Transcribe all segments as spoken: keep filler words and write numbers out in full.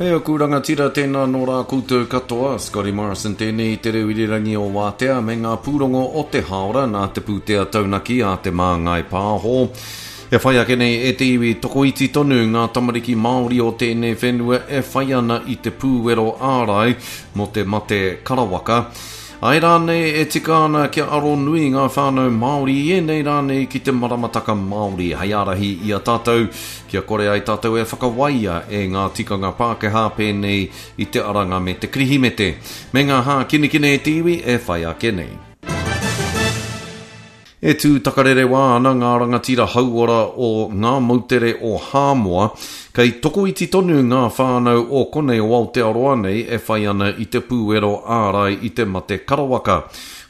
Kei aku rangatira tēnā nō rā koutou katoa, Scotty Morrison tēnei i te reo irirangi o Wātea me ngā pūrongo o te hāora nā te pūtea taunaki a Te Māngai Pāho. E whai ake nei e te iwi tokoiti tonu ngā tamariki Māori o tēnei whenua e whai ana i te pūwero ārai mō te mate karawaka. Ai rānei e tika ana kia aro nui ngā whānau Māori i ēnei rānei ki te maramataka Māori hei ārahi i a tātou kia kore ai tātou e whakawaia e ngā tikanga Pākehā pēnei i te aranga me te Kirihimete, me ngā hākinakina e te iwi e whai ake nei. E tū takarerewā ana ngā rangatira hauora o ngā moutere o Hāmoa, kei tokoiti tonu ngā whānau o konei o Aotearoa nei e whai ana i te pūwero ārai i te mate karawaka.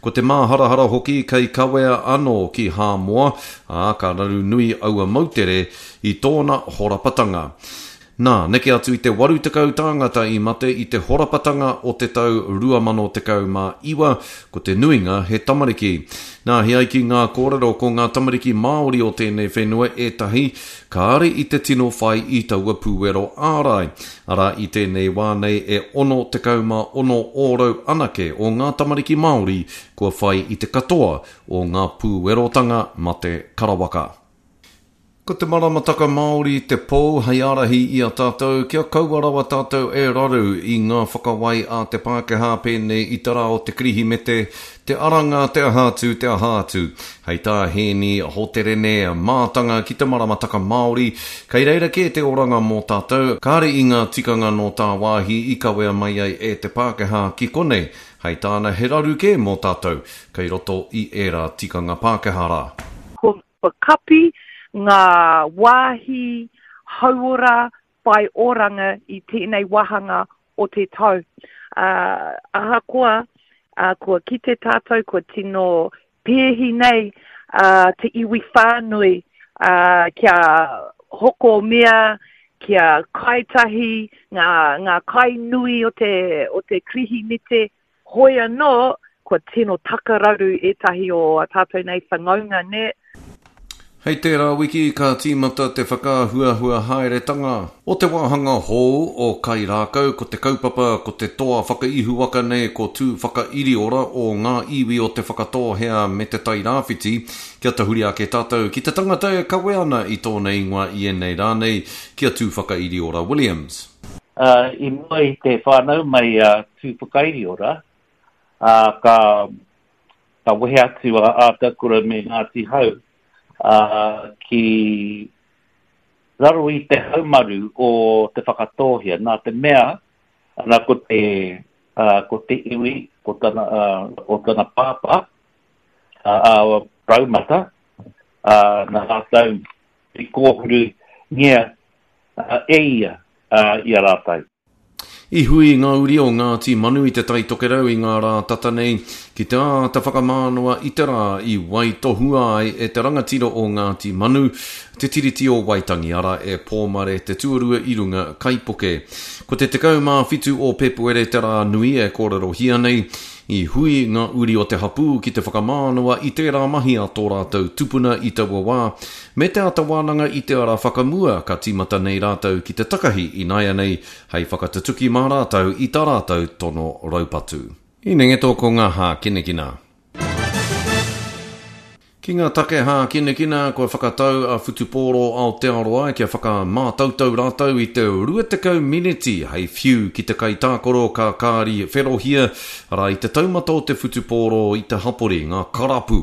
Ko te māharahara hoki kei kawea anō ki Hāmoa, ā, ka raru nui aua moutere i tōna horapatanga. Nā, neke atu i te waru tekau tāngata i mate i te horapatanga o te tau rua mano tekau mā iwa, ko te nuinga he tamariki. Nā, he ai ki ngā kōrero ko ngā tamariki Māori o tēnei whenua ētahi kāre i te tino whai i taua pūwero ārai. Arā, i tēnei wā nei e ono tekau mā ono ōrau anake o ngā tamariki Māori kua whai i te katoa o ngā pūwerotanga mate karawaka. Ko te maramataka Māori te pou hei ārahi i a tātou kia kaua rawa tātou e raru i ngā whakawai a te Pākehā pēnei i te rā o te Kirihimete, te aranga, te aha atu, te aha atu. Hei tā Hēni Hoterene mātanga ki te maramataka Māori, kei reira kē te oranga mō tātou, kāre i ngā tikanga nō tāwāhi i kawea mai ai e te Pākehā ki konei. Hei tāna he raru kē mō tātou, kei roto i ērā tikanga Pākehā rā. Ko kapi ngā wāhi hauora whai oranga i tēnei wāhanga o te tau. Uh, ahakoa, uh, kua kite tātou, kua tino pēhi nei uh, te iwi whānui uh, kia hoko mea, kia kaitahi, ngā, ngā kai nui o te, o te Kirihimete, hoi anō, kua tino takararu ētahi o tātou nei whanaunga ne. Hei tērā wiki ka tīmata te whakaahuahua haeretanga o te wāhanga hou o Kairākau, ko te kaupapa ko te toa whakaihuwaka nei ko Tū Whakairiora o ngā iwi o te Whakatōhea me te Tairāwhiti, kia tahuri ake tātou ki te tangata e kawe ana i tōna ingoa i ēnei rā nei, ki a Tū Whakairiora Williams. Uh, i mua i te whānau mai a uh, Tū Whakairiora, uh, ka, ka wehe atu a Ātakura me Ngāti Hau, Uh, ki raro i te haumaru o te Whakatōhea. Nā te mea, ana ko te, uh, ko te iwi, ko tana, uh, o tana pāpā, uh, uh, Raumata, uh, nā rātou i kōhuru ngia uh, e ia uh, i a rātou. I hui ngā uri o Ngāti Manu i te Tai Tokerau i ngā rā tata nei ki te āta whakamānawa i te rā i waitohua ai e te rangatira o Ngāti Manu, te Tiriti o Waitangi, ara e Pōmare te tuarua i runga kaipuke. Ko te tekau mā whitu o Pēpuere te rā nui e kōrerohia nei, i hui ngā uri o te hapū ki te whakamānawa i tērā mahi a tō rātou tupuna i taua wā, me te āta wānanga i te ara whakamua ka tīmata nei rātou ki te takahi ināianei hei whakatutuki mā rātou i tā rātou tono raupatu. I nenge tō ko ngā hākinakina. Ki ngā take hākinakina, kua whakatau a Whutupōro Aotearoa kia whakamātautau rātou i te rua tekau mineti hei whiu ki te kaitākaro ka kāri wherohia, arā i te taumata o te whutupōro i te hapori, ngā karapu.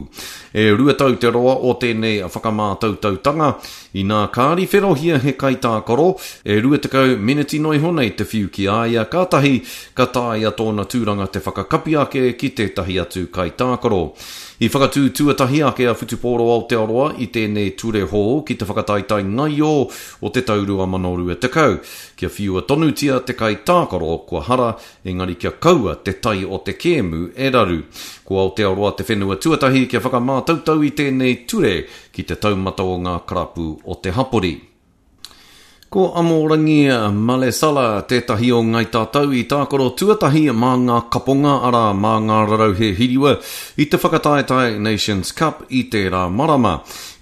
E rua tau te roa o tēnei whakamātautautanga, inā kāri wherohia he kaitākaro, e rua tekau mineti noa iho nei te whiu ki a ia, kātahi ka taea tōna tūranga te whakakapi ake ki tētahi atu kaitākaro. I whakatū tuatahi ake a Whutupōro Aotearoa i tēnei ture hou ki te whakataetae ngaio o te tau rua mano rua tekau, kia whiua tonutia te kaitākaro kua hara, engari kia kaua te tai o te kēmu e raru. Ko Aotearoa te whenua tuatahi kia whakamātautau i tēnei ture ki te taumata o ngā karapu o te hapori. Ko Amorangi Malesala tētahi o Ngai Tātou i tākaro tuatahi mā ngā kaponga arā mā ngā rarauhe hiriwa i te whakataetae Nations Cup i tērā marama.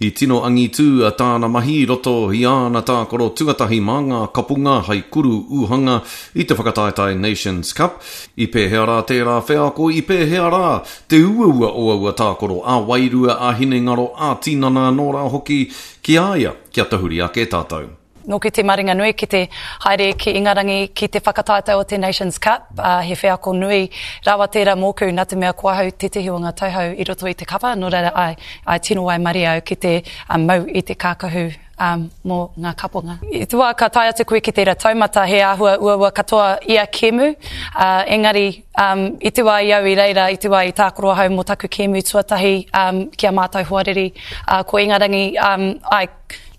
I tino angitū a tāna mahi i roto i āna tākaro tuatahi mā ngā kapunga hai kuru uhanga i te whakataetae Nations Cup. I pēhea rā tērā wheako, i pēhea rā te uaua o aua tākaro ā-wairua, ā-hinengaro, ā-tinana anō rā hoki ki a ia, kia tahuri ake tātou. Nōku te maringa nui ki te haere ki Ingarangi ki te whakataetae o te Nations Cup, ā, he wheako nui rawa tērā mōku nā te mea ko ahau tētehi o ngā tauhou i roto i te kapa, nō reira āe, āe tino waimarie au ki te mau i te kākahu mō ngā kaponga. I te wā ka tae atu koe ki tērā taumata he āhua uaua katoa ia kēmu, ā, engari i te wā i au i reira, i te wā i tākaro ahau mō taku kēmu tuatahi ki a mātou hoariri, ā, ko Ingarangi, āe,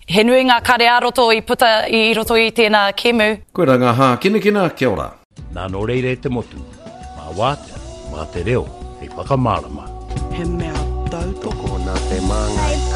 He nui ngā kare ā-roto i puta i roto i tēnā kēmu. Koirā ngā hākinakina, kia ora. Nā nō reira e te motu, mā wātea, mā te reo hei whakamārama. He mea tautoko nā te Māngai